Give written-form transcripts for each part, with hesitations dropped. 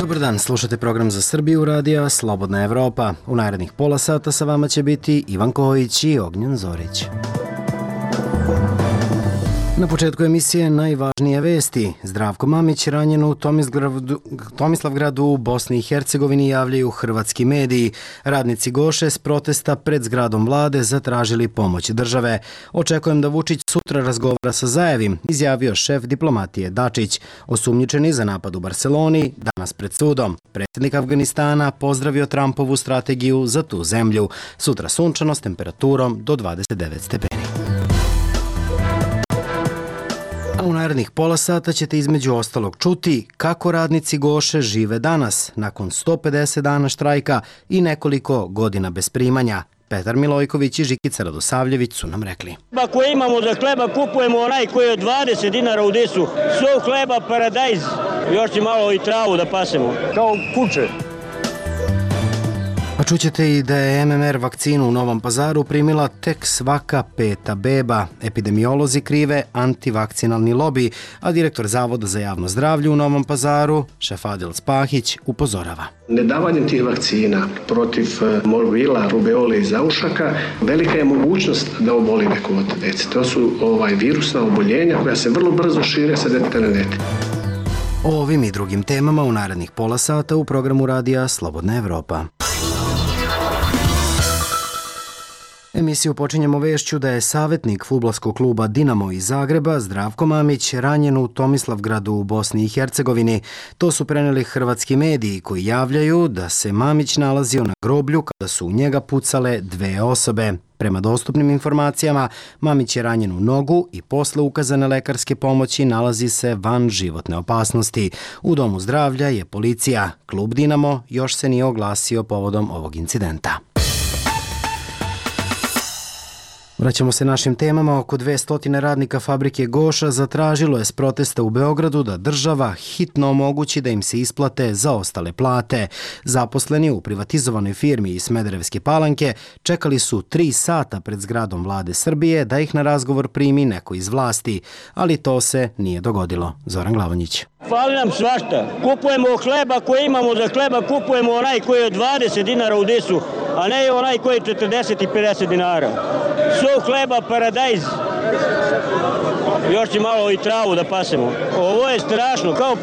Dobar dan, slušate program za Srbiju radija Slobodna Evropa. U narednih pola sata sa vama će biti Ivan Kojić i Ognjen Zorić. Na početku emisije najvažnije vesti. Zdravko Mamić ranjen u Tomislavgradu u Bosni i Hercegovini javljaju hrvatski mediji. Radnici Goše s protesta pred zgradom vlade zatražili pomoć države. Očekujem da Vučić sutra razgovara sa Zajevim, izjavio šef diplomatije Dačić. Osumnjičeni za napad u Barseloni danas pred sudom. Predsjednik Afganistana pozdravio Trumpovu strategiju za tu zemlju. Sutra sunčano s temperaturom do 29 stepeni. U narednih pola sata ćete između ostalog čuti kako radnici Goše žive danas, nakon 150 dana štrajka i nekoliko godina bez primanja. Petar Milojković i Žikica Radosavljević su nam rekli. Ako imamo za hleba, kupujemo onaj koji je od 20 dinara u disu. Sov hleba, paradajz, još će malo i travu da pasemo. Kao kuće. A čućete i da je MMR vakcinu u Novom Pazaru primila tek svaka peta beba. Epidemiolozi krive antivakcinalni lobi, a direktor Zavoda za javno zdravlje u Novom Pazaru, Šefadil Spahić, upozorava. Nedavanjem tih vakcina protiv morbila, rubeole i zaušaka velika je mogućnost da oboli neko od dece. To su virusna oboljenja koja se vrlo brzo šire sa deteta na dete. O ovim i drugim temama u narednih pola sata u programu radija Slobodna Evropa. Emisiju počinjemo vešću da je savjetnik fudbalskog kluba Dinamo iz Zagreba, Zdravko Mamić, ranjen u Tomislavgradu u Bosni i Hercegovini. To su preneli hrvatski mediji koji javljaju da se Mamić nalazio na groblju kada su u njega pucale dve osobe. Prema dostupnim informacijama, Mamić je ranjen u nogu i posle ukazane lekarske pomoći nalazi se van životne opasnosti. U domu zdravlja je policija. Klub Dinamo još se nije oglasio povodom ovog incidenta. Vraćamo se našim temama. Oko 200 radnika fabrike Goša zatražilo je s protesta u Beogradu da država hitno omogući da im se isplate zaostale plate. Zaposleni u privatizovanoj firmi iz Smederevske Palanke čekali su 3 sata pred zgradom vlade Srbije da ih na razgovor primi neko iz vlasti, ali to se nije dogodilo. Zoran Glavonjić. Fali nam svašta. Kupujemo hleba koji imamo za hleba, kupujemo onaj koji je od 20 dinara u disu, a ne onaj koji je 40 i 50 dinara. Sov hleba, paradajz, još će malo i travu da pasemo. Ovo je strašno, kao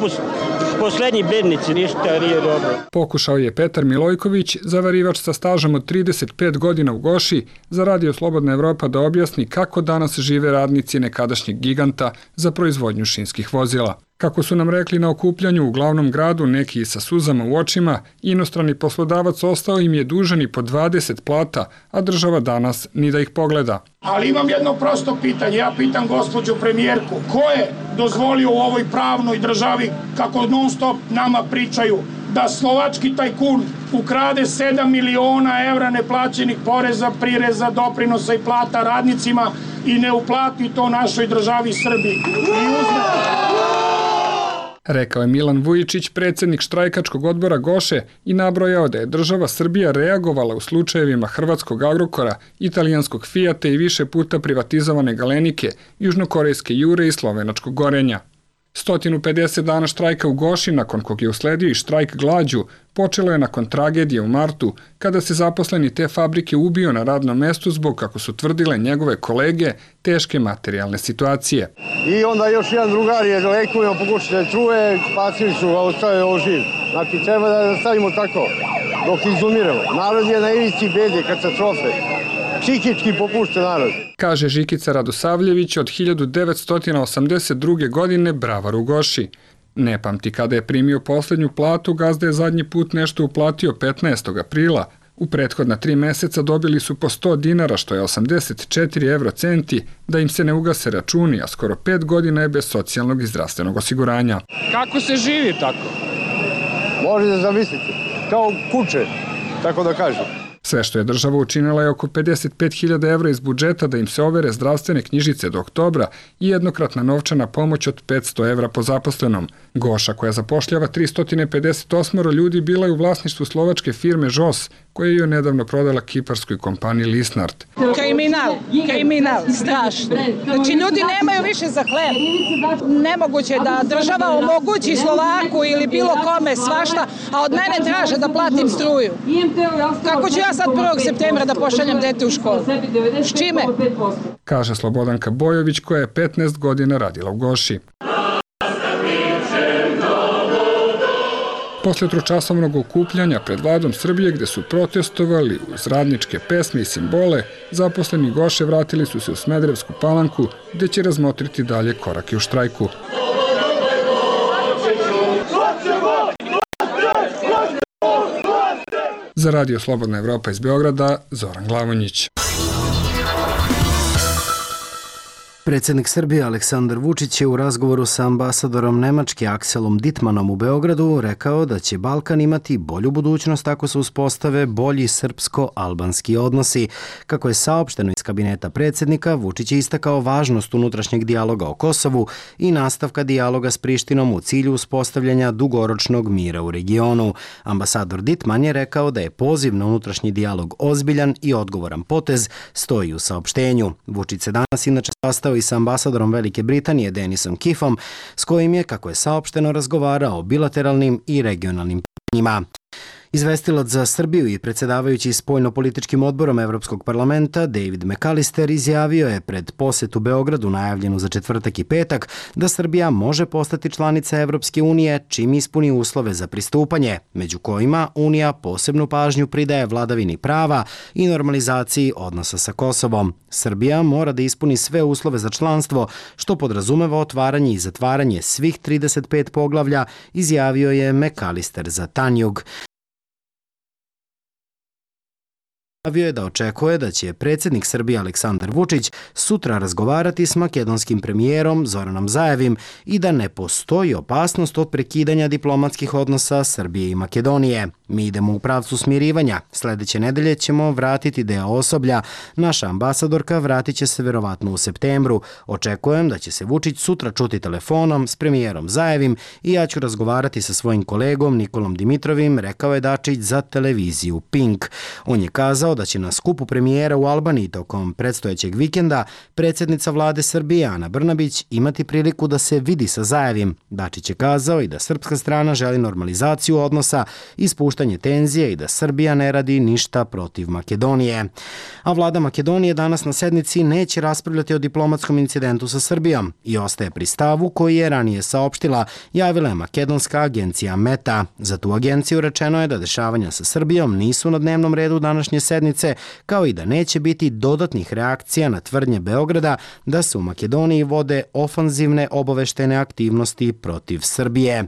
poslednji bednici, ništa nije dobro. Pokušao je Petar Milojković, zavarivač sa stažom od 35 godina u Goši, za Radio Slobodna Evropa da objasni kako danas žive radnici nekadašnjeg giganta za proizvodnju šinskih vozila. Kako su nam rekli na okupljanju u glavnom gradu, neki sa suzama u očima, inostrani poslodavac ostao im je dužan i po 20 plata, a država danas ni da ih pogleda. Ali imam jedno prosto pitanje, ja pitam gospođu premijerku, ko je dozvolio u ovoj pravnoj državi, kako non stop nama pričaju, da slovački tajkun ukrade 7 miliona evra neplaćenih poreza, prireza, doprinosa i plata radnicima i ne uplati to našoj državi Srbiji. I uzme... Rekao je Milan Vujičić, predsjednik štrajkačkog odbora Goše, i nabrojao da je država Srbija reagovala u slučajevima hrvatskog Agrokora, italijanskog Fijata i više puta privatizovane Galenike, južnokorejske Jure i slovenačkog Gorenja. 150 dana štrajka u Goši, nakon kog je usledio i štrajk glađu, počelo je nakon tragedije u martu, kada se zaposleni te fabrike ubio na radnom mestu zbog, kako su tvrdile njegove kolege, teške materijalne situacije. I onda još jedan drugar je lekujemo, pokušati da čuje, spasili su, a ostavio ovo živ. Znači, treba da stavimo tako, dok izumiremo. Narod je na ivici bede, katastrofe. Psihički popušta narod. Kaže Žikica Radosavljević, od 1982. godine bravar u Goši. Ne pamti kada je primio posljednju platu, gazda je zadnji put nešto uplatio 15. aprila. U prethodna 3 meseca dobili su po 100 dinara, što je 84 eurocenti, da im se ne ugase računi, a skoro 5 godina je bez socijalnog i zdravstvenog osiguranja. Kako se živi tako? Možete zamisliti, kao kuće, tako da kažem. Sve što je država učinila je oko 55.000 evra iz budžeta da im se overe zdravstvene knjižice do oktobra i jednokratna novčana pomoć od 500 evra po zaposlenom. Goša, koja zapošljava 358 ljudi, bila je u vlasništvu slovačke firme ŽOS, koja je nedavno prodala kiparskoj kompaniji Lisnard. Kriminal, strašno. Znači, ljudi nemaju više za hleb. Nemoguće da država omogući Slovaku ili bilo kome svašta, a od mene traže da platim struju. Kako ću ja sad 1. septembra da pošaljem dete u školu? S čime? Kaže Slobodanka Bojović, koja je 15 godina radila u Goši. Posle tročasovnog okupljanja pred vladom Srbije, gde su protestovali uz radničke pesme i simbole, zaposleni Goše vratili su se u Smederevsku Palanku, gde će razmotriti dalje korake u štrajku. Za Radio Slobodna Evropa iz Beograda, Zoran Glavonjić. Predsjednik Srbije Aleksandar Vučić je u razgovoru sa ambasadorom Nemačke Akselom Dittmanom u Beogradu rekao da će Balkan imati bolju budućnost ako se uspostave bolji srpsko-albanski odnosi. Kako je saopšteno iz kabineta predsjednika, Vučić je istakao važnost unutrašnjeg dijaloga o Kosovu i nastavka dijaloga s Prištinom u cilju uspostavljanja dugoročnog mira u regionu. Ambasador Dittman je rekao da je poziv na unutrašnji dijalog ozbiljan i odgovoran potez, stoji u saopštenju. Vučić se danas inače sastao i sa ambasadorom Velike Britanije Denisom Kiffom, s kojim je, kako je saopšteno, razgovarao o bilateralnim i regionalnim pitanjima. Izvestilac za Srbiju i predsjedavajući spoljno-političkim odborom Evropskog parlamenta David McAllister izjavio je pred posetu Beogradu najavljenu za četvrtak i petak da Srbija može postati članica Evropske unije čim ispuni uslove za pristupanje, među kojima Unija posebnu pažnju pridaje vladavini prava i normalizaciji odnosa sa Kosovom. Srbija mora da ispuni sve uslove za članstvo, što podrazumeva otvaranje i zatvaranje svih 35 poglavlja, izjavio je McAllister za Tanjug. Javio je da očekuje da će predsjednik Srbije Aleksandar Vučić sutra razgovarati s makedonskim premijerom Zoranom Zaevim i da ne postoji opasnost od prekidanja diplomatskih odnosa Srbije i Makedonije. Mi idemo u pravcu smirivanja. Sljedeće nedelje ćemo vratiti deo osoblja. Naša ambasadorka vratit će se verovatno u septembru. Očekujem da će se Vučić sutra čuti telefonom s premijerom Zaevim i ja ću razgovarati sa svojim kolegom Nikolom Dimitrovim, rekao je Dačić za televiziju Pink. On je kazao da će na skupu premijera u Albaniji tokom predstojećeg vikenda predsjednica vlade Srbije Ana Brnabić imati priliku da se vidi sa Zaevim. Dačić je kazao i da srpska strana želi normalizaciju odnosa i spuštanje tenzije i da Srbija ne radi ništa protiv Makedonije. A vlada Makedonije danas na sednici neće raspravljati o diplomatskom incidentu sa Srbijom i ostaje pri stavu koji je ranije saopštila, javila je makedonska agencija Meta. Za tu agenciju rečeno je da dešavanja sa Srbijom nisu na dnevnom redu današnje sednice, kao i da neće biti dodatnih reakcija na tvrdnje Beograda da se u Makedoniji vode ofanzivne obaveštene aktivnosti protiv Srbije.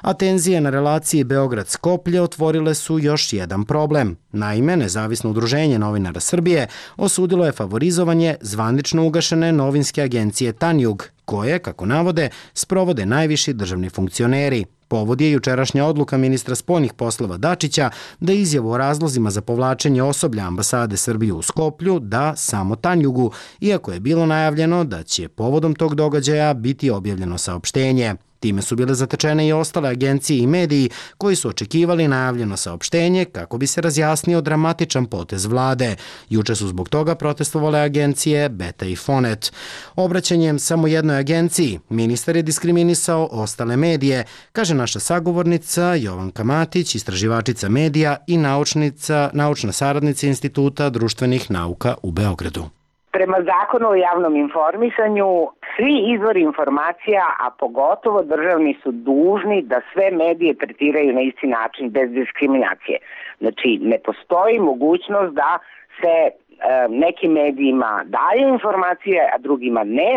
A tenzije na relaciji Beograd-Skoplje otvorile su još jedan problem. Naime, Nezavisno udruženje novinara Srbije osudilo je favorizovanje zvanično ugašene novinske agencije Tanjug, koje, kako navode, sprovode najviši državni funkcioneri. Povod je jučerašnja odluka ministra spoljnih poslova Dačića da izjavu o razlozima za povlačenje osoblja ambasade Srbije u Skoplju da samo Tanjugu, iako je bilo najavljeno da će povodom tog događaja biti objavljeno saopštenje. Time su bile zatečene i ostale agencije i mediji koji su očekivali najavljeno saopštenje kako bi se razjasnio dramatičan potez vlade. Juče su zbog toga protestovale agencije Beta i Fonet. Obraćanjem samo jednoj agenciji, ministar je diskriminisao ostale medije, kaže naša sagovornica Jovanka Matić, istraživačica medija i naučna saradnica Instituta društvenih nauka u Beogradu. Prema zakonu o javnom informisanju, svi izvori informacija, a pogotovo državni, su dužni da sve medije tretiraju na isti način, bez diskriminacije. Znači, ne postoji mogućnost da se nekim medijima daju informacije, a drugima ne.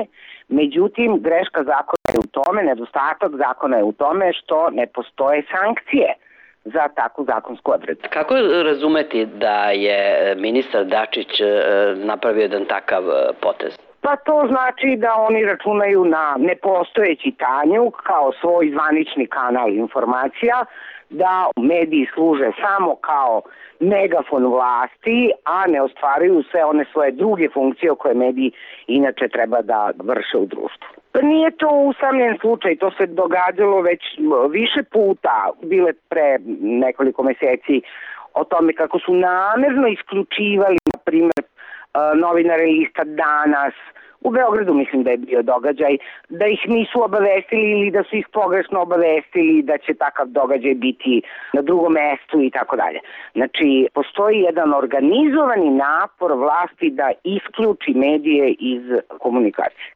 Međutim, greška zakona je u tome, nedostatak zakona je u tome što ne postoje sankcije za takvu zakonsku odredbu. Kako razumeti da je ministar Dačić napravio jedan takav potez? Pa to znači da oni računaju na nepostojeći Tanjug kao svoj zvanični kanal informacija, da mediji služe samo kao megafon vlasti, a ne ostvaruju sve one svoje druge funkcije koje mediji inače treba da vrše u društvu. Nije to usamljen slučaj, to se događalo već više puta, bile pre nekoliko meseci o tome kako su namerno isključivali, na primjer, novinare lista Danas, u Beogradu mislim da je bio događaj, da ih nisu obavestili ili da su ih pogrešno obavestili da će takav događaj biti na drugom mestu i tako dalje. Znači, postoji jedan organizovani napor vlasti da isključi medije iz komunikacije.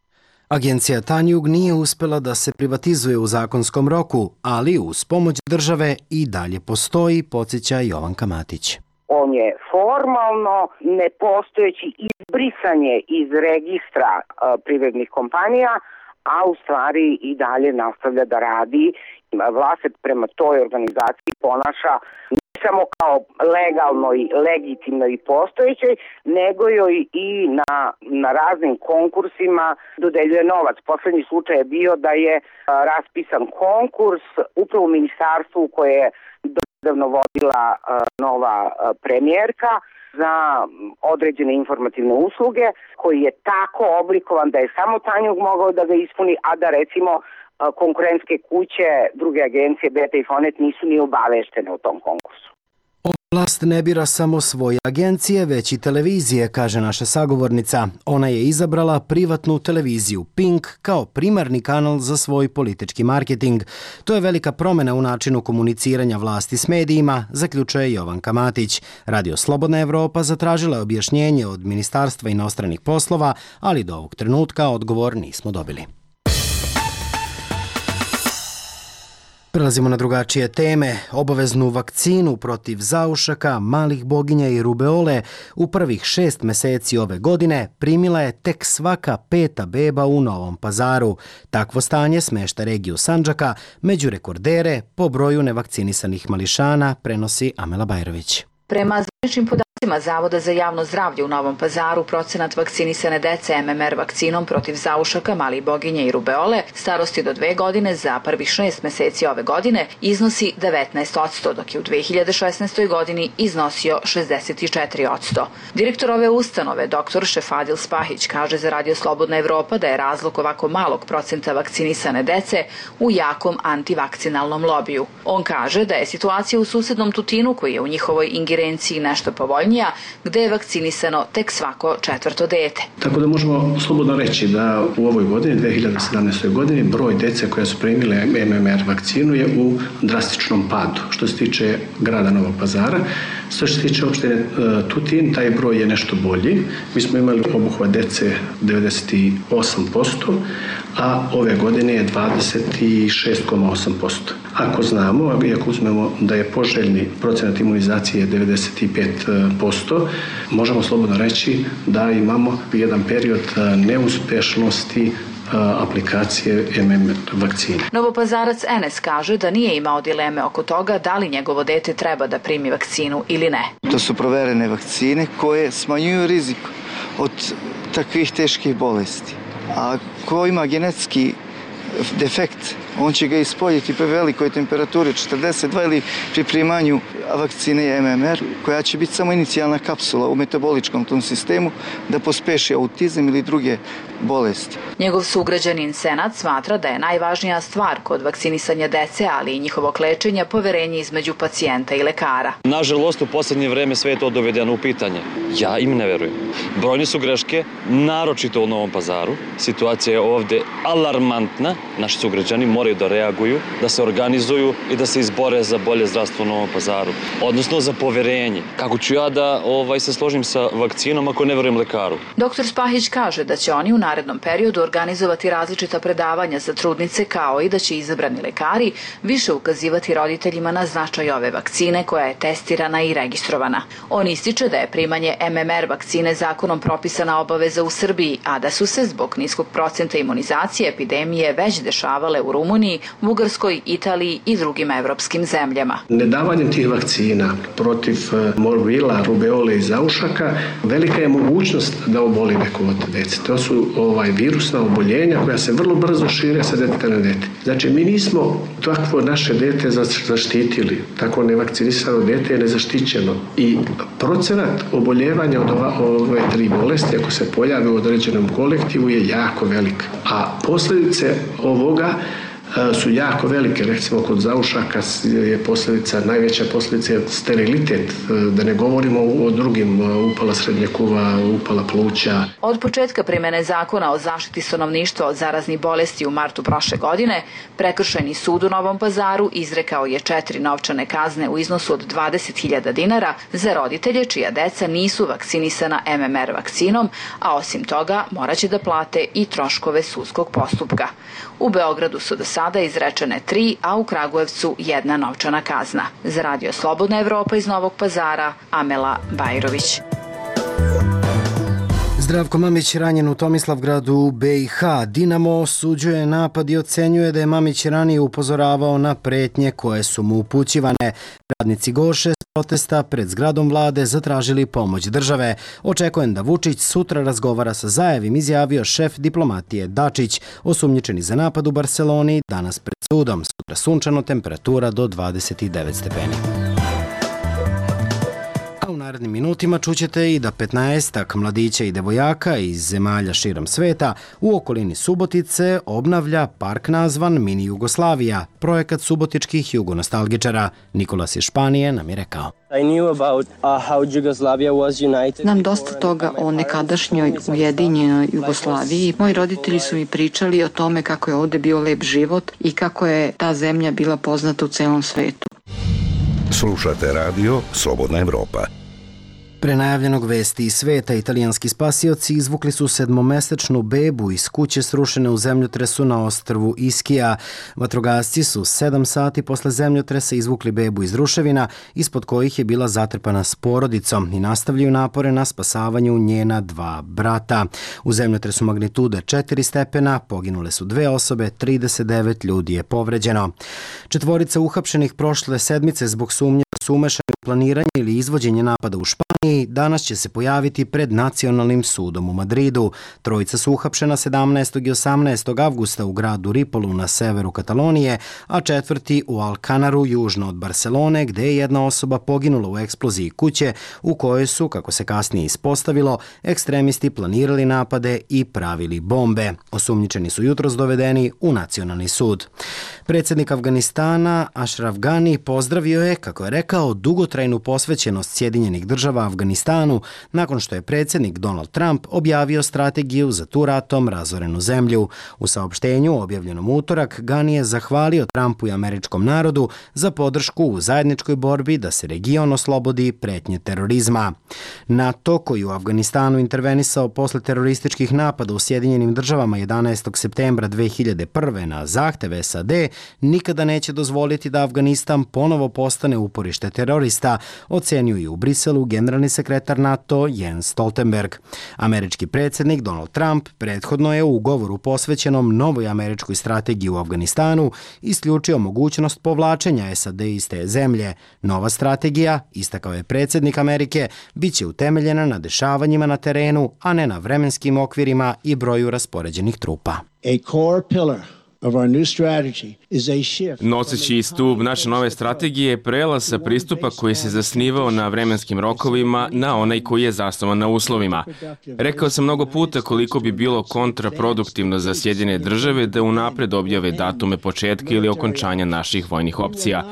Agencija Tanjug nije uspela da se privatizuje u zakonskom roku, ali uz pomoć države i dalje postoji, podsjeća Jovanka Matić. On je formalno nepostojeći izbrisanje iz registra privrednih kompanija, a u stvari i dalje nastavlja da radi. Vlast se prema toj organizaciji ponaša ne samo kao legalno i legitimno i postojećoj, nego joj i na raznim konkursima dodeljuje novac. Poslednji slučaj je bio da je raspisan konkurs upravo u ministarstvu koje je davno vodila nova premijerka za određene informativne usluge, koji je tako oblikovan da je samo Tanjug mogao da ga ispuni, a da recimo konkurentske kuće, druge agencije, Beta i Fonet nisu ni obaveštene u tom konkursu. Vlast ne bira samo svoje agencije, već i televizije, kaže naša sagovornica. Ona je izabrala privatnu televiziju Pink kao primarni kanal za svoj politički marketing. To je velika promjena u načinu komuniciranja vlasti s medijima, zaključuje Jovanka Matić. Radio Slobodna Evropa zatražila je objašnjenje od Ministarstva inostranih poslova, ali do ovog trenutka odgovor nismo dobili. Prelazimo na drugačije teme. Obaveznu vakcinu protiv zaušaka, malih boginja i rubeole u prvih 6 meseci ove godine primila je tek svaka 5. beba u Novom Pazaru. Takvo stanje smešta regiju Sandžaka među rekordere po broju nevakcinisanih mališana, prenosi Amela Bajrović. Prema zvaničnim podacima Zavoda za javno zdravlje u Novom Pazaru, procenat vakcinisane dece MMR vakcinom protiv zaušaka, malih boginja i rubeole starosti do 2 godine za prvih 6 meseci ove godine iznosi 19%, dok je u 2016. godini iznosio 64%. Direktor ove ustanove, dr. Šefadil Spahić, kaže za Radio Slobodna Evropa da je razlog ovako malog procenta vakcinisane dece u jakom antivakcinalnom lobiju. On kaže da je situacija u susednom Tutinu, koji je u njihovoj ingerenciji nešto povoljnija, gde je vakcinisano tek svako 4. dete. Tako da možemo slobodno reći da u ovoj godini, 2017. godini, broj dece koja su primile MMR vakcinu je u drastičnom padu. Što se tiče grada Novog Pazara, što se tiče opštine Tutin, taj broj je nešto bolji. Mi smo imali obuhvat dece 98%, a ove godine je 26,8%. Ako znamo, i ako uzmemo da je poželjni procenat imunizacije 95%, možemo slobodno reći da imamo jedan period neuspešnosti aplikacije MMR vakcine. Novopazarac Enes kaže da nije imao dileme oko toga da li njegovo dete treba da primi vakcinu ili ne. To su proverene vakcine koje smanjuju rizik od takvih teških bolesti. A ko ima genetski defekt, on će ga ispoljiti pri velikoj temperaturi 42 ili pri primanju vakcine MMR, koja će biti samo inicijalna kapsula u metaboličkom tom sistemu da pospeši autizam ili druge bolesti. Njegov sugrađanin Senad smatra da je najvažnija stvar kod vakcinisanja dece, ali i njihovog lečenja, poverenje između pacijenta i lekara. Nažalost, u poslednje vreme sve je to dovedeno u pitanje. Ja im ne verujem. Brojne su greške, naročito u Novom Pazaru. Situacija je ovde alarmantna. Naši sugrađani moraju da reaguju, da se organizuju i da se izbore za bolje zdravstvo u Novom Pazaru. Odnosno za poverenje. Kako ću ja da se složim sa vakcinom ako ne verujem lekaru? Dr. Spahić kaže da će oni u narednom periodu organizovati različita predavanja za trudnice, kao i da će izabrani lekari više ukazivati roditeljima na značaj ove vakcine koja je testirana i registrovana. On ističe da je primanje MMR vakcine zakonom propisana obaveza u Srbiji, a da su se zbog niskog procenta imunizacije epidemije već dešavale u Rumuniji Rumuniji, Bugarskoj, Italiji i drugim evropskim zemljama. Nedavanjem tih vakcina protiv morbila, rubeole i zaušaka velika je mogućnost da oboli neko od dece. To su virusna oboljenja koja se vrlo brzo šire sa deteta na dete. Znači, mi nismo takvo naše dete zaštitili. Tako nevakcinisano dete je nezaštićeno. I procenat oboljevanja od ove 3 bolesti, ako se pojavi u određenom kolektivu, je jako velik. A posljedice ovoga su jako velike. Recimo, kod zaušaka je najveća posljedica je sterilitet, da ne govorimo o drugim, upala srednjeg uva, upala pluća. Od početka primene zakona o zaštiti stanovništva od zaraznih bolesti u martu prošle godine, Prekršajni sud u Novom Pazaru izrekao je 4 novčane kazne u iznosu od 20.000 dinara za roditelje čija deca nisu vakcinisana MMR vakcinom, a osim toga moraće da plate i troškove sudskog postupka. U Beogradu su do sada izrečene 3, a u Kragujevcu 1 novčana kazna. Za Radio Slobodna Evropa iz Novog Pazara, Amela Bajrović. Zdravko Mamić ranjen u Tomislavgradu u BiH. Dinamo osuđuje napad i ocenjuje da je Mamić ranije upozoravao na pretnje koje su mu upućivane. Radnici Goše s protesta pred zgradom vlade zatražili pomoć države. Očekujem da Vučić sutra razgovara sa Zajevim, izjavio šef diplomatije Dačić. Osumnjičeni za napad u Barseloni danas pred sudom. Sutra sunčano, temperatura do 29 stepeni. U narednim minutima čućete i da 15-ak mladića i devojaka iz zemalja širom sveta u okolini Subotice obnavlja park nazvan Mini Jugoslavija, projekat subotičkih jugonostalgičara. Nikolas iz Španije nam je rekao. Znam dosta toga o nekadašnjoj ujedinjenoj Jugoslaviji. Moji roditelji su mi pričali o tome kako je ovde bio lep život i kako je ta zemlja bila poznata u celom svetu. Slušate radio Slobodna Evropa. Pre najavljenog vesti iz sveta, italijanski spasioci izvukli su 7-mesečnu bebu iz kuće srušene u zemljotresu na ostrvu Iskija. Vatrogasci su 7 sati posle zemljotresa izvukli bebu iz ruševina, ispod kojih je bila zatrpana s porodicom, i nastavljaju napore na spasavanju njena 2 brata. U zemljotresu magnitude 4 stepena poginule su 2 osobe, 39 ljudi je povređeno. 4 uhapšenih prošle sedmice zbog sumnje da su umešani u planiranje ili izvođenje napada u Španiji danas će se pojaviti pred Nacionalnim sudom u Madridu. 3 su uhapšena 17. i 18. avgusta u gradu Ripolu na severu Katalonije, a 4. u Alcanaru južno od Barcelone, gde je 1 osoba poginula u eksploziji kuće u kojoj su, kako se kasnije ispostavilo, ekstremisti planirali napade i pravili bombe. Osumnjičeni su jutros dovedeni u Nacionalni sud. Predsjednik Afganistana Ashraf Ghani pozdravio je, kako je rekao, dugotrajnu posvećenost Sjedinjenih država Afganistanu nakon što je predsjednik Donald Trump objavio strategiju za tu ratom razorenu zemlju. U saopštenju objavljenom utorak Ghani je zahvalio Trumpu i američkom narodu za podršku u zajedničkoj borbi da se region oslobodi pretnje terorizma. NATO, koji u Afganistanu intervenisao posle terorističkih napada u Sjedinjenim državama 11. septembra 2001. na zahteve SAD, nikada neće dozvoliti da Afganistan ponovo postane uporište terorista, ocenio je u Briselu generalni sekretar NATO Jens Stoltenberg. Američki predsjednik Donald Trump prethodno je u ugovoru posvećenom novoj američkoj strategiji u Afganistanu isključio mogućnost povlačenja SAD iz te zemlje. Nova strategija, istakao je predsjednik Amerike, bit će utemeljena na dešavanjima na terenu, a ne na vremenskim okvirima i broju raspoređenih trupa. Noseći stub naše nove strategije je prelaz sa pristupa koji se zasnivao na vremenskim rokovima na onaj koji je zasnovan na uslovima. Rekao sam mnogo puta koliko bi bilo kontraproduktivno za Sjedinjene države da unapred objave datume početka ili okončanja naših vojnih opcija.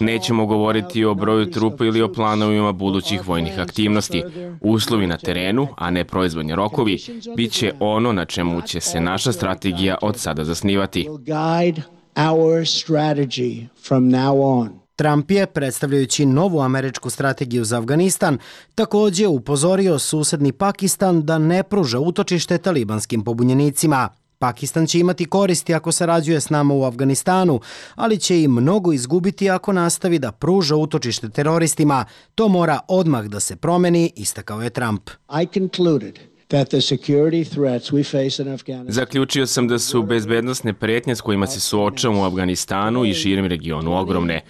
Nećemo govoriti o broju trupa ili o planovima budućih vojnih aktivnosti. Uslovi na terenu, a ne proizvodni rokovi, bit će ono na čemu će se naša strategija od sada zasnivati. Trump je, predstavljajući novu američku strategiju za Afganistan, također upozorio susedni Pakistan da ne pruža utočište talibanskim pobunjenicima. Pakistan će imati koristi ako sarađuje s nama u Afganistanu, ali će i mnogo izgubiti ako nastavi da pruža utočište teroristima. To mora odmah da se promeni, istakao je Trump. Zaključio sam da su bezbednosne pretnje s kojima se suočavamo u Afganistanu i širem regionu ogromne.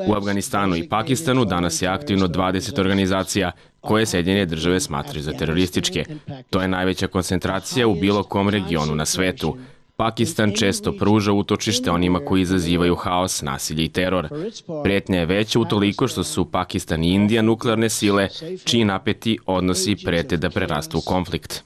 U Afganistanu i Pakistanu danas je aktivno 20 organizacija koje Sjedinjene države smatraju za terorističke. To je najveća koncentracija u bilo kom regionu na svetu. Pakistan često pruža utočište onima koji izazivaju haos, nasilje i teror. Pretnja je veća utoliko što su Pakistan i Indija nuklearne sile, čiji napeti odnosi prete da prerastu u konflikt.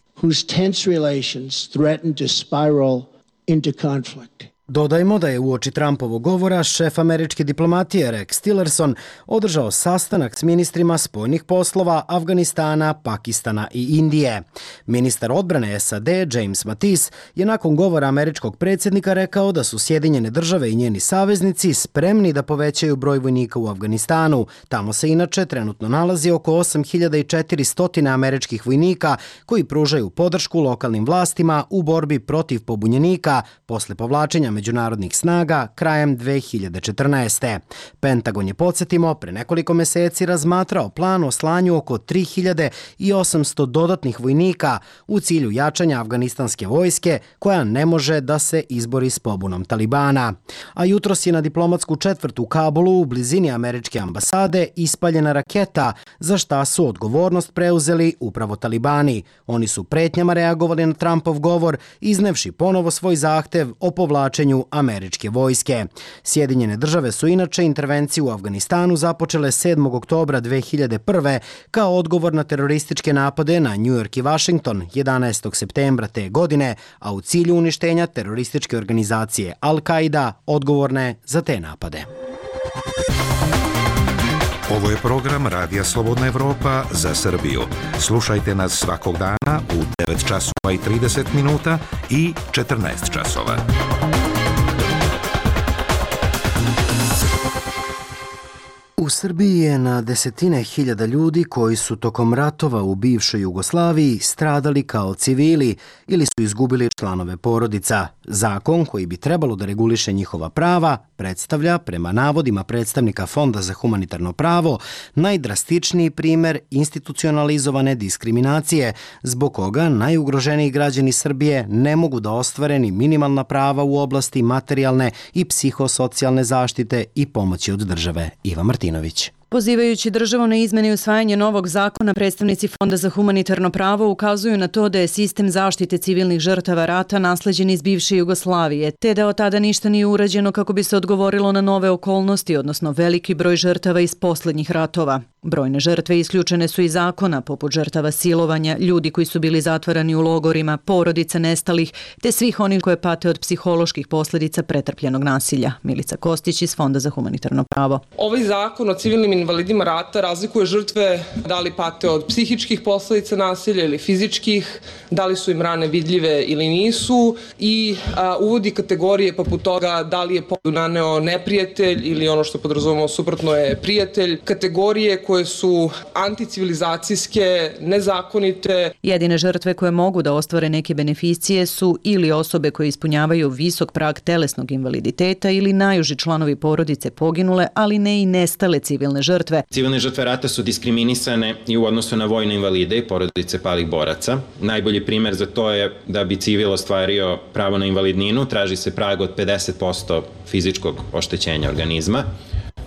Dodajmo da je uoči Trumpovog govora šef američke diplomatije Rex Tillerson održao sastanak s ministrima spoljnih poslova Afganistana, Pakistana i Indije. Ministar odbrane SAD James Mattis je nakon govora američkog predsjednika rekao da su Sjedinjene države i njeni saveznici spremni da povećaju broj vojnika u Afganistanu. Tamo se inače trenutno nalazi oko 8400 američkih vojnika koji pružaju podršku lokalnim vlastima u borbi protiv pobunjenika posle povlačenja međunarodnih snaga krajem 2014. Pentagon je, podsjetimo, pre nekoliko meseci razmatrao plan o slanju oko 3800 dodatnih vojnika u cilju jačanja afganistanske vojske koja ne može da se izbori s pobunom Talibana. A jutros je na diplomatsku četvrt u Kabulu u blizini američke ambasade ispaljena raketa, za šta su odgovornost preuzeli upravo Talibani. Oni su pretnjama reagovali na Trumpov govor, iznevši ponovo svoj zahtev o povlačenju američke vojske. Sjedinjene države su inače intervenciju u Afganistanu započele 7. oktobra 2001. kao odgovor na terorističke napade na New York i Washington 11. septembra te godine, a u cilju uništenja terorističke organizacije Al-Qaida odgovorne za te napade. Ovo je program Radija Slobodna Evropa za Srbiju. Slušajte nas svakog dana u 9 časova i 30 minuta i 14 časova. U Srbiji je na desetine hiljada ljudi koji su tokom ratova u bivšoj Jugoslaviji stradali kao civili ili su izgubili članove porodica. Zakon koji bi trebalo da reguliše njihova prava predstavlja, prema navodima predstavnika Fonda za humanitarno pravo, najdrastičniji primer institucionalizovane diskriminacije, zbog koga najugroženiji građani Srbije ne mogu da ostvare ni minimalna prava u oblasti materijalne i psihosocijalne zaštite i pomoći od države. Iva Martinović. Pozivajući državu na izmene i usvajanje novog zakona, predstavnici Fonda za humanitarno pravo ukazuju na to da je sistem zaštite civilnih žrtava rata nasleđen iz bivše Jugoslavije, te da od tada ništa nije urađeno kako bi se odgovorilo na nove okolnosti, odnosno veliki broj žrtava iz poslednjih ratova. Brojne žrtve isključene su iz zakona, poput žrtava silovanja, ljudi koji su bili zatvarani u logorima, porodica nestalih, te svih onih koje pate od psiholoških posljedica pretrpljenog nasilja. Milica Kostić iz Fonda za humanitarno pravo. Ovaj zakon o civilnim invalidima rata razlikuje žrtve da li pate od psihičkih posljedica nasilja ili fizičkih, da li su im rane vidljive ili nisu i uvodi kategorije poput toga da li je povredu naneo neprijatelj ili ono što podrazumemo suprotno je prijatelj, kategorije koje su anticivilizacijske, nezakonite. Jedine žrtve koje mogu da ostvare neke beneficije su ili osobe koje ispunjavaju visok prag telesnog invaliditeta ili najuži članovi porodice poginule, ali ne i nestale civilne žrtve. Civilne žrtve rata su diskriminisane i u odnosu na vojne invalide i porodice palih boraca. Najbolji primer za to je da bi civil ostvario pravo na invalidninu, traži se prag od 50% fizičkog oštećenja organizma,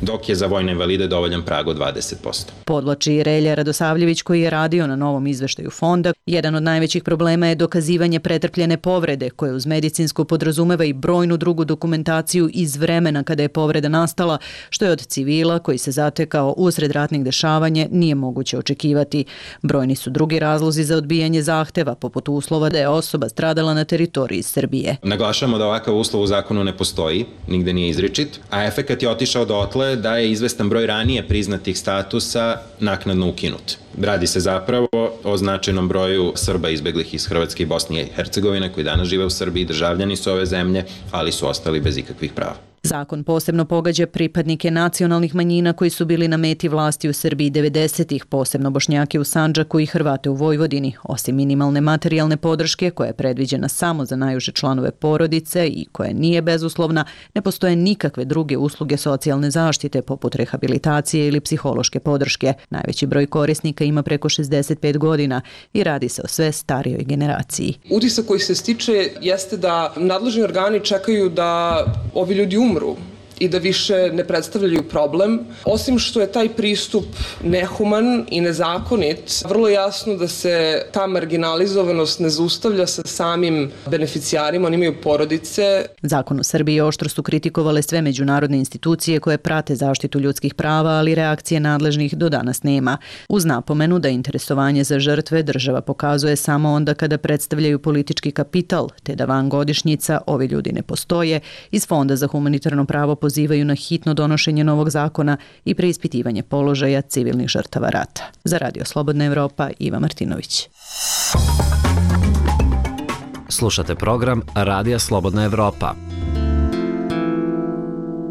dok je za vojne invalide dovoljan prag od 20%. Podvlači Relja Radosavljević koji je radio na novom izveštaju fonda. Jedan od najvećih problema je dokazivanje pretrpljene povrede, koje uz medicinsku podrazumeva i brojnu drugu dokumentaciju iz vremena kada je povreda nastala, što je od civila koji se zatekao usred ratnih dešavanja nije moguće očekivati. Brojni su drugi razlozi za odbijanje zahteva, poput uslova da je osoba stradala na teritoriji Srbije. Naglašavamo da ovakav uslov u zakonu ne postoji, nigde nije izričit, a efekat je otišao dotle da je izvestan broj ranije priznatih statusa naknadno ukinut. Radi se zapravo o značajnom broju Srba izbeglih iz Hrvatske i Bosne i Hercegovine koji danas žive u Srbiji, državljani su ove zemlje, ali su ostali bez ikakvih prava. Zakon posebno pogađa pripadnike nacionalnih manjina koji su bili na meti vlasti u Srbiji 90-ih, posebno Bošnjake u Sandžaku i Hrvate u Vojvodini. Osim minimalne materijalne podrške, koja je predviđena samo za najuže članove porodice i koja nije bezuslovna, ne postoje nikakve druge usluge socijalne zaštite poput rehabilitacije ili psihološke podrške. Najveći broj korisnika učesnika ima preko 65 godina i radi se o sve starijoj generaciji. Utisak koji se stiče jeste da nadležni organi čekaju da ovi ljudi umru i da više ne predstavljaju problem. Osim što je taj pristup nehuman i nezakonit, vrlo jasno da se ta marginalizovanost ne zaustavlja sa samim beneficijarima, oni imaju porodice. Zakon u Srbiji oštro su kritikovale sve međunarodne institucije koje prate zaštitu ljudskih prava, ali reakcije nadležnih do danas nema. Uz napomenu da interesovanje za žrtve država pokazuje samo onda kada predstavljaju politički kapital, te da van godišnjica ovi ljudi ne postoje, iz Fonda za humanitarno pravo pozivaju na hitno donošenje novog zakona i preispitivanje položaja civilnih žrtava rata. Za Radio Slobodna Evropa, Iva Martinović. Slušate program Radija Slobodna Evropa.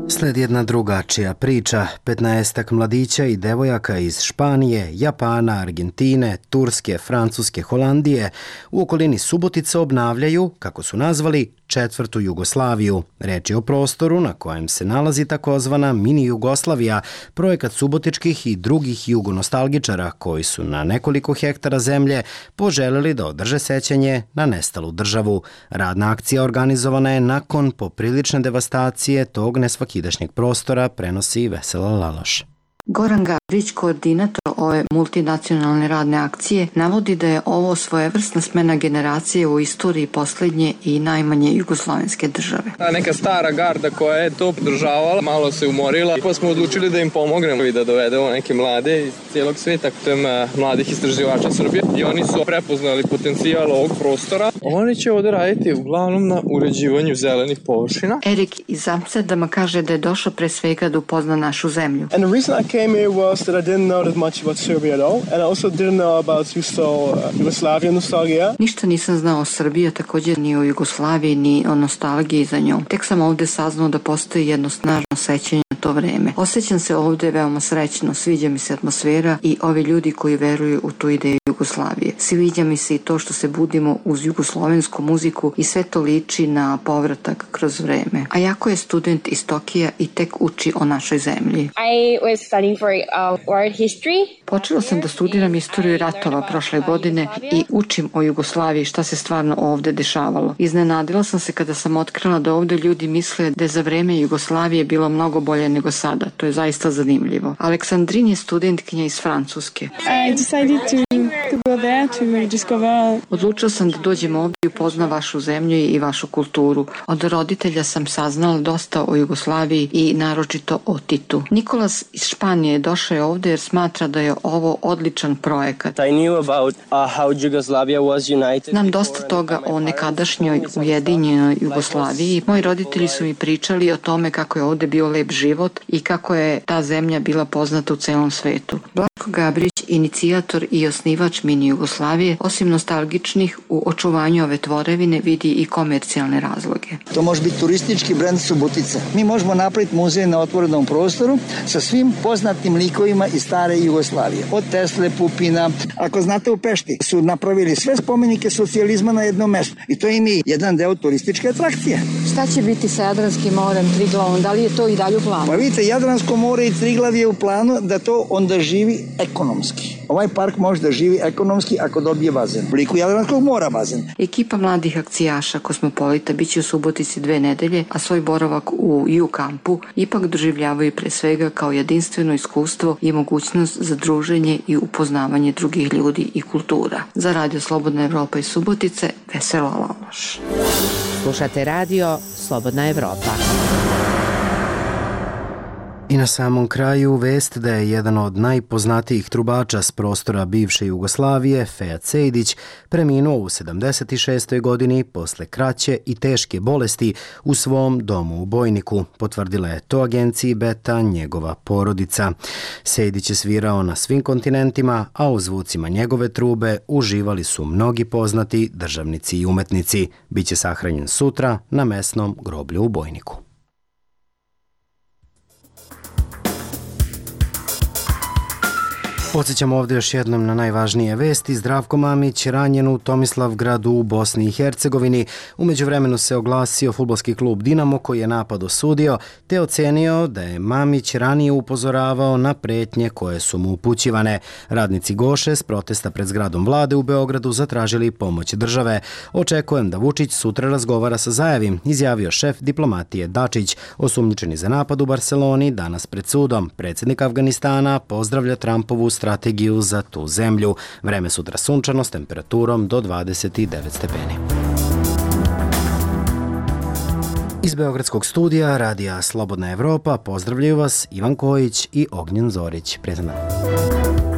Sledi jedna drugačija priča. 15-ak mladića i devojaka iz Španije, Japana, Argentine, Turske, Francuske, Holandije u okolini Subotice obnavljaju, kako su nazvali, četvrtu Jugoslaviju. Reč je o prostoru na kojem se nalazi takozvana mini Jugoslavija, projekat subotičkih i drugih jugonostalgičara koji su na nekoliko hektara zemlje poželeli da održe sećanje na nestalu državu. Radna akcija organizovana je nakon poprilične devastacije tog nesvakidašnjeg prostora, prenosi Vesela Laloš. Goran Gabrić, koordinator ove multinacionalne radne akcije, navodi da je ovo svojevrsna smena generacije u istoriji posljednje i najmanje jugoslovenske države. Ta neka stara garda koja je to podržavala, malo se umorila, pa smo odlučili da im pomognemo i da dovedemo neke mlade iz cijelog sveta, putem mladih istraživača Srbije. I oni su prepoznali potencijal ovog prostora. Oni će ovdje raditi uglavnom na uređivanju zelenih površina. Erik iz Amsterdama kaže da je došao pre svega da upozna našu zemlju. Came here was that I didn't know that much about Serbia at all, and I also didn't know about Yugoslavia nostalgia. Ništa nisam znao o Srbiji, također ni o Jugoslaviji, ni o nostalgiji za njom. Tek sam ovdje saznao da postoji jedno snažno sećanje na to vreme. Osjećam se ovdje veoma srećno, sviđa mi se atmosfera i ovi ljudi koji veruju u tu ideju Jugoslavije. Sviđa mi se i to što se budimo uz jugoslovensku muziku i sve to liči na povratak kroz vreme. A jako je student iz Tokija i tek uči o našoj zemlji. I was studying for world history. Počela sam da studiram istoriju ratova prošle godine i učim o Jugoslaviji, šta se stvarno ovdje dešavalo. Iznenadila sam se kada sam otkrila da ovdje ljudi misle da je za vreme Jugoslavije bilo mnogo bolje nego sada. To je zaista zanimljivo. Aleksandrin je studentkinja iz Francuske. I decided to go there to discover. Odlučila sam da dođem ovdje i upoznam vašu zemlju i vašu kulturu. Od roditelja sam saznala dosta o Jugoslaviji i naročito o Titu. Nikolas iz Španije došao je ovdje jer smatra da je ovo odličan projekat. I knew about how Yugoslavia was united. Znam dosta toga o nekadašnjoj ujedinjenoj Jugoslaviji. Moji roditelji su mi pričali o tome kako je ovdje bio lep život i kako je ta zemlja bila poznata u celom svetu. Blažko Gabrić, inicijator i osnivač mini Jugoslavije, osim nostalgičnih u očuvanju ove tvorevine vidi i komercijalne razloge. To može biti turistički brend Subotice. Mi možemo napraviti muzej na otvorenom prostoru sa svim poznatim likovima iz stare Jugoslavije. Od Tesle, Pupina. Ako znate, u Pešti su napravili sve spomenike socijalizma na jednom mestu. I to im je jedan deo turističke atrakcije. Šta će biti sa Jadranskim morem, Triglavom? Da li je to i dalje u planu? Pa vidite, Jadransko more i Triglav je u planu da to onda živi ekonomski. Ovaj park može da živi ekonomski ako dobije bazen. U liku Jadranskog mora bazen. Ekipa mladih akcijaša Kosmopolita biće u Subotici 2 nedelje, a svoj boravak u U-kampu ipak doživljavaju pre svega kao jedinstveno iskustvo i mogućnost za druženje i upoznavanje drugih ljudi i kultura. Za Radio Slobodna Evropa iz Subotice, Vesela Laloš. Slušate Radio Slobodna Evropa. I na samom kraju vest da je jedan od najpoznatijih trubača s prostora bivše Jugoslavije, Fejat Sejdić, preminuo u 76. godini posle kraće i teške bolesti u svom domu u Bojniku. Potvrdila je to agenciji Beta njegova porodica. Sejdić je svirao na svim kontinentima, a u zvucima njegove trube uživali su mnogi poznati državnici i umetnici. Biće sahranjen sutra na mesnom groblju u Bojniku. Podsjećamo ovdje još jednom na najvažnije vesti. Zdravko Mamić ranjen u Tomislavgradu u Bosni i Hercegovini. U međuvremenu se oglasio fudbalski klub Dinamo koji je napad osudio te ocenio da je Mamić ranije upozoravao na pretnje koje su mu upućivane. Radnici Goše s protesta pred zgradom vlade u Beogradu zatražili pomoć države. Očekujem da Vučić sutra razgovara sa Zajevim, izjavio šef diplomatije Dačić. Osumnjičeni za napad u Barseloni danas pred sudom. Predsjednik Afganistana pozdravlja Trumpovu strategiju za tu zemlju. Vreme sutra sunčano s temperaturom do 29 stepeni. Iz Beogradskog studija Radija Slobodna Evropa pozdravljaju vas Ivan Kojić i Ognjen Zorić. Prijatno.